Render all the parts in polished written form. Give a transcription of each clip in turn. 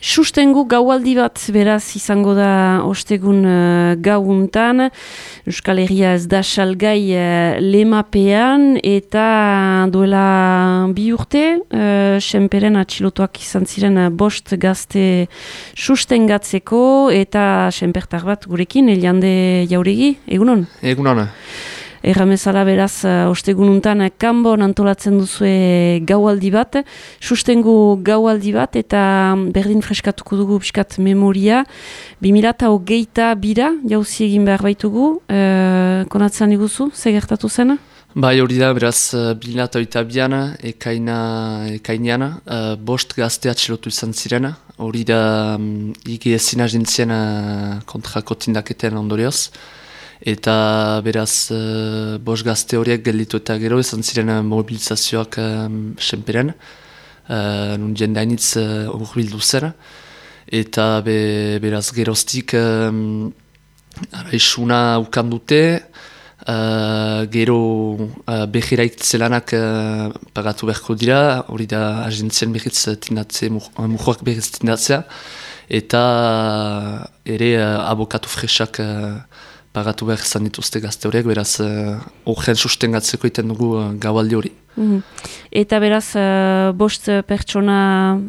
Sustengu gaualdi bat beraz izango da ostegun gauuntan. Euskal Herria ez da salgai lemapean eta duela 2 urte senperen atxilotuak izan ziren 5 gazte sustengatzeko eta senpertar bat gurekin, Eliande Jauregi, egunon? Egunon. Erramezala beraz, ostegununtan kanbon antolatzen duzue gaualdi bat, sustengu gaualdi bat, eta berdin freskatuko dugu piskat memoria. 2022 jauzi egin behar baitugu, konatzen iguzu, ze gertatu zena? Bai, hori da, beraz, 2022an, ekainean, 5 gazte atxilotu izan ziren, hori da igi ezin agentzien kontrako tindaketen ondorioz. Eta beraz, 5 gazte horiek gelditu eta gero izan ziren mobilizazioak senperen, nun jendainitz urbildu zen. Eta beraz geroztik isuna ukan dute, gero behiraik zelanak pagatu beharko dira, hori da agentzien behiz tindatze, mujoak behiz tindatzea, eta ere abokatu fresak pagatu behar izan dituzte gazte horiek, beraz horren sustengatzeko iten dugu gaualdi hori. Eta beraz, 5 pertsona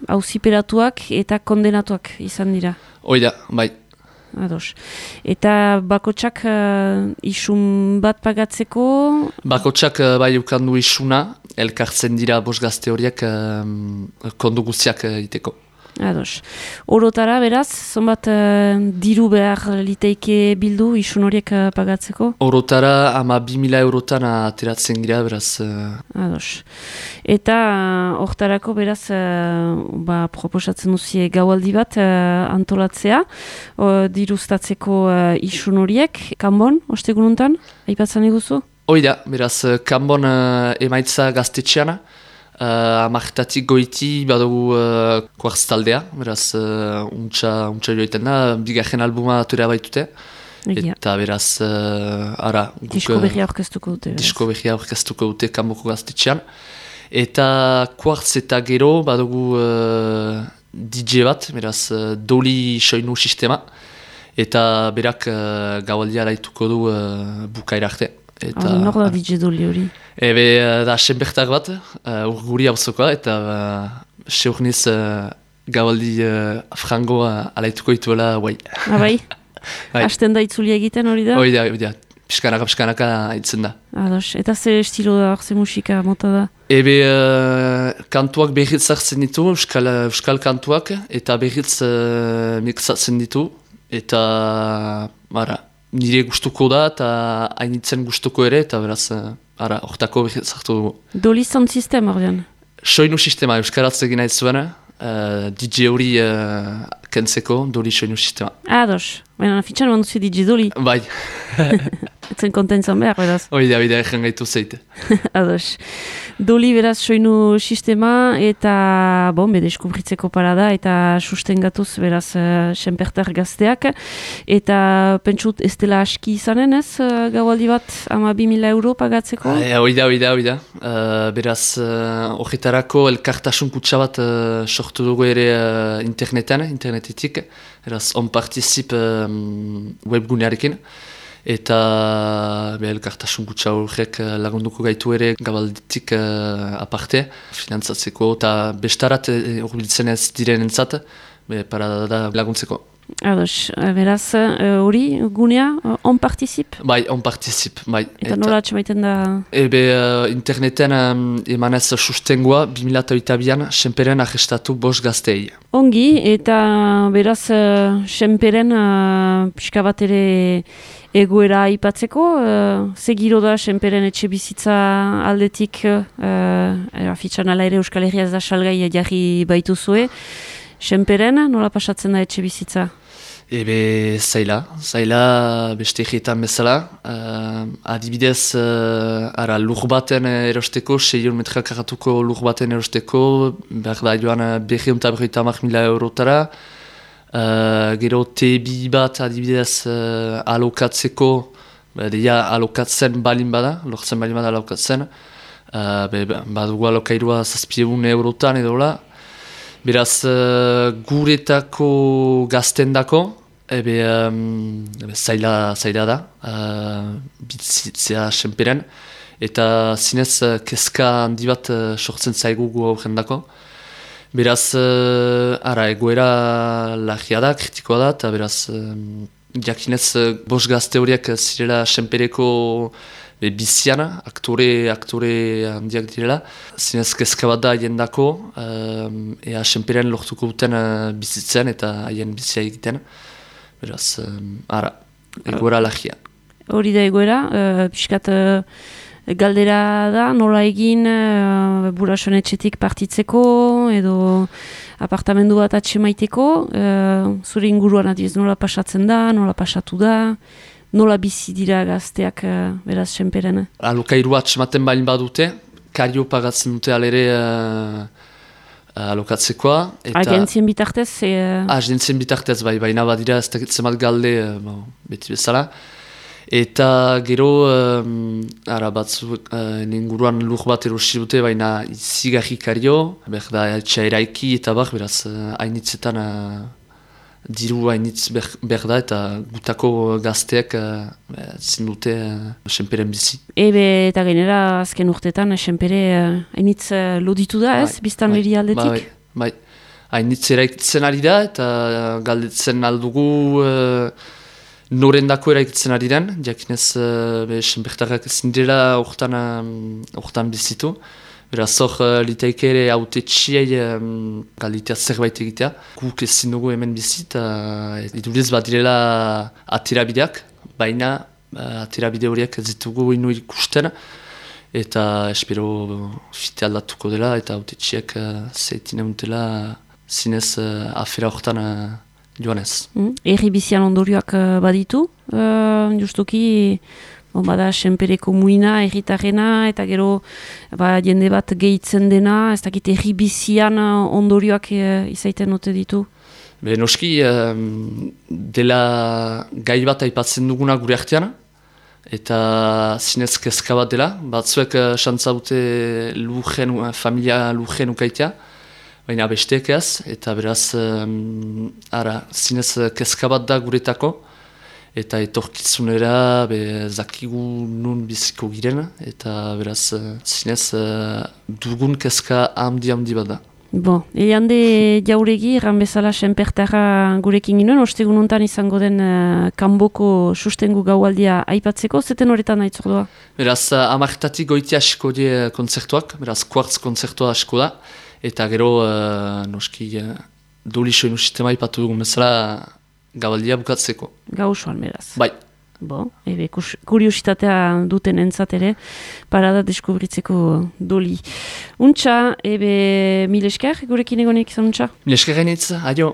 auziperatuak eta kondenatuak izan dira? Oida, bai. Ados. Eta bakotsak isun bat pagatzeko? Bakotsak bai ukandu isuna, elkartzen dira 5 gazte horiek kondu guztiak iteko. Ados. Orotara, beraz, zonbat diru behar liteike bildu isun horiek pagatzeko? Orotara, ama 2.000 eurotan ateratzen gira, beraz. Ados. Eta hortarako, beraz, proposatzen duzie gaualdi bat antolatzea, diruztatzeko isun horiek, kanbon, ostegununtan, aipatzen iguzu? Oida, beraz, kanbon emaitza gaztetxeana, amartatik goiti badugu kuartztaldea, beraz untxa joiten da, 2. albuma atorea baitute. Eta beraz, disko berria aurkeztuko dute. Disko berria aurkeztuko dute kanboko gaztetxean. Eta kuartz eta gero badugu DJ bat, beraz doli soinu sistema. Eta berak gaualdia laituko du bukaira arte. Nor da DJ Doli hori? Da senbertar bat, urguri hauzokoa, eta seurniz gaualdi frango alaituko dituela guai. Bai? Hasten da itzuli egiten hori da? Hori da, piskanaka haitzen da. Ados, eta ze estilo da, ze musika mota da? Kantuak behitz hartzen ditu, euskal kantuak, eta behitz mixatzen ditu, eta nire gustuko da, eta hainitzen gustuko ere, eta beraz, hortako zartu dugu. Doli sound system horrean? Soinu sistema, euskaraz egin nahi zuen, DJ hori kentzeko, Doli soinu sistema. Ados, baina fitxan manduzi DJ Doli? Bai. Etzen kontentzan behar, beraz? Oida, egen gaitu zeite. Ados. Doli beraz soinu sistema eta deskubritzeko parada eta sustengatuz beraz senpertar gazteak. Eta pentsut ez dela aski izanen ez gaualdi bat ama 2.000 euro pagatzeko? Oida. Beraz horretarako elkartasun kutsa bat sortu dugu ere internetetik. Beraz on particip webgunearekin. Eta elkartasun gutxa horrek lagunduko gaitu ere gabalditik aparte, finantzatzeko eta bestarat urbiltzen ez diren entzat, parada laguntzeko. Ados, beraz, hori gunea, on particip? Bai, on particip, bai. Eta nola atxamaiten da? Interneten emanez sustengoa 2022an senperen arrestatu 5 gaztei. Ongi, eta beraz, senperen pixka bat ere egoera aipatzeko, ze giro da senperen etxe bizitza aldetik, fitxan ala ere Euskal Herria ez da salgai jarri baituzue, senperen nola pasatzen da etxe bizitza? Zaila beste egietan bezala, adibidez lur baten erosteko, 6 metra karatuko lur baten erosteko, behar da joan 250.000 eurotara, gero T2 bat adibidez alokatzeko, alokatzen balin bada, lortzen balin bada alokatzen, badugu alokairua 700 eurotan edola, Beraz, guretako gaztendako, zaila da, bitzitzea senperen, eta zinez kezka handi bat sortzen zaigu gu aurrendako. Beraz, egoera lagia da, kritikoa da, eta beraz, jakinez bost gazte horiek zirela senpereko bizian, aktore handiak direla. Zinez kezka bat da haien dako, ea senperen lortuko duten bizitzen eta haien bizia egiten. Beraz, egoera lagia. Hori da egoera, pixkat galdera da, nola egin Burasoen etxetik partitzeko edo apartamendu bat atxemaiteko, zure inguruan adiez nola pasatzen da, nola pasatu da, nola bizi dira gazteak beraz senperen. Alokairua atxematen balin badute, kario pagatzen dute alere alokatzekoa. Agentzien bitartez? Agentzien bitartez, baina badira ez dakitzen bat galde beti bezala. Eta gero, batzuk inguruan lur bat erosi dute, baina izigarri kario, berda etxea eraiki eta beraz hainitzetan diru hainitz berda eta gutako gazteak zindute senperen bizi. Eta gainera azken urtetan senpere hainitz loditu da ez, biztan liri aldetik? Bai, hainitz eraikitzen ari da eta galdetzen aldugu norendako eraikitzen ari den, jakinez senpertarrak ezin dela hortan bizitu. Beraz hor litaike ere autetxiei galditea zerbait egitea. Guk ezin dugu hemen bizit, iduriz bat direla aterabideak, baina aterabide horiek ez ditugu inu ikusten, eta espero fite aldatuko dela, eta autetxiek zeitine untela zinez afera hortan joanez. Erri bizian ondorioak baditu, justuki bada senpereko muina, erritarrena, eta gero jende bat gehitzen dena, ez dakit erri bizian ondorioak izaiten ote ditu? Noski, dela gai bat aipatzen duguna gure artean, eta zinez kezka bat dela, batzuek xantza dute familia lurren ukaitea, baina besteek ez, eta beraz, zinez kezka bat da guretako, eta etorkizunera zakigu nun biziko giren, eta beraz zinez dugun kezka handi bat da. Hande jauregi, erran bezala senpertarra gurekin ginen, ostegun hontan izango den kanboko sustengu gaualdia aipatzeko, zeten horretan nahi zordua? Beraz, amartatik goiti asko die kontzertuak, beraz, kuartz kontzertua asko da, eta gero, noski, dolisoen usitema aipatu dugun bezala, gabaldia bukatzeko. Gauzoan, beraz. Bai. Kuriositatea duten entzat ere, parada deskubritzeko doli. Untxa, mil esker, gurekin egonek izan untxa? Mil esker gainitz, adio.